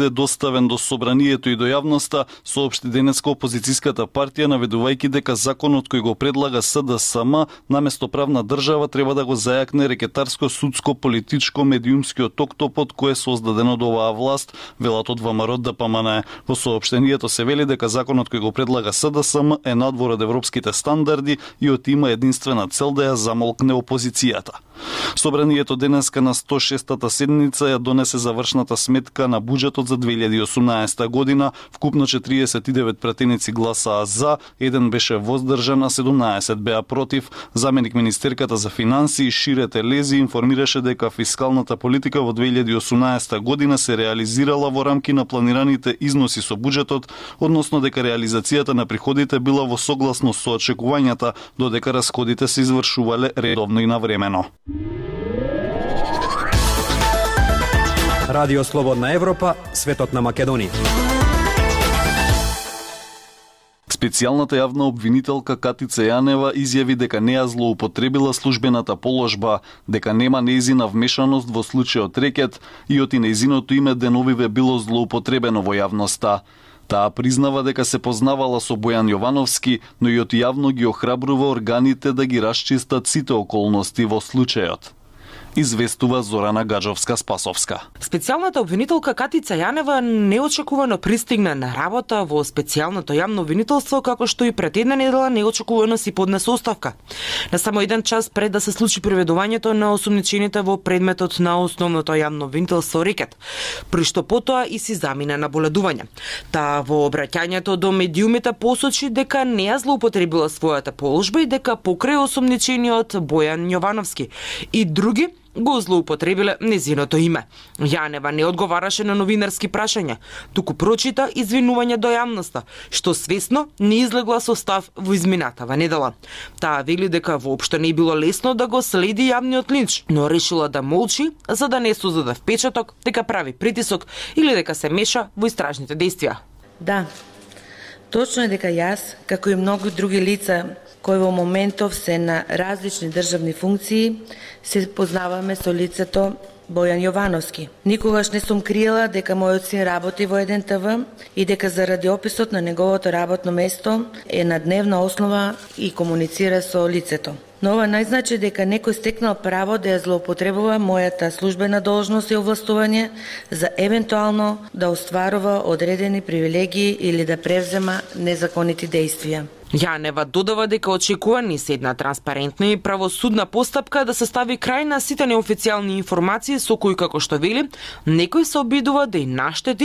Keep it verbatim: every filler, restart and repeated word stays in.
е доставен до собранието и до јавноста, соопшти денеска опозицијската партија, наведувајќи дека законот кој го предлага С Д С М наместо правна држава треба да го зајакне рекетарско, судско, политичко, медиумскиот октопод кој е создаден од оваа власт, велат од ВМРО Д П М Н. Во соопштението се вели дека законот кој го предлага С Д С М е надвор од европските стандарди и од има единствена цел да ја замолкне опозицијата. Собранието денеска на сто и шестата седница ја донесе завршната сметка на буџетот за две илјади и осумнаесета година. Вкупно четириесет и девет пратеници гласаа за, еден беше воздржан, а седумнаесет беа против. Заменик министерката за финансии Шире Телези информираше дека фискалната политика во две илјади и осумнаесета година се реализирала во рамки на планираните износи со буџетот, односно дека реализацијата на приходите била во согласност со очекувањата, додека расходите се извршувале редовно и навремено. Радио Слободна Европа, светот на Македонија. Специјалната јавна обвинителка Катица Јанева изјави дека не ја злоупотребила службената положба, дека нема нејзина вмешаност во случајот рекет и од и нејзиното име деновиве било злоупотребено во јавноста. Таа признава дека се познавала со Бојан Јовановски, но и од јавно ги охрабрува органите да ги расчистат сите околности во случајот. Известува Зорана Гаджовска-Спасовска. Специјалната обвинителка Катица Јанева неочекувано пристигна на работа во специјалното јавно обвинителство, како што и пред една недела неочекувано си поднесе оставка. На само еден час пред да се случи приведувањето на осумничените во предметот на основното јавно обвинителство рекет, при што потоа и си замина на боледување. Таа во обраќањето до медиумите посочи дека не ја злоупотребила својата положба и дека покрај осумничениот Бојан Јовановски и други го злоупотребиле незиното име. Јанева не одговараше на новинарски прашања, туку прочита извинување до јавноста, што свесно не излегла со став во изминатава недела. Таа вели дека воопшто не било лесно да го следи јавниот линч, но решила да молчи за да не создаде впечаток дека прави притисок или дека се меша во истражните дејствија. Да, точно е дека јас, како и многу други лица кои во моментов се на различни државни функции, се познаваме со лицето Бојан Јовановски. Никогаш не сум криела дека мојот син работи во еден Т В и дека заради описот на неговото работно место е на дневна основа и комуницира со лицето. Но ова не значи дека некој стекнал право да ја злоупотребува мојата службена должност и овластување за евентуално да остварува одредени привилегии или да превзема незаконити дејствија. Јанева додава дека очекува ни се една транспарентна и правосудна постапка да се стави крај на сите неофицијални информации со кои, како што вели, некој се обидува да и наштети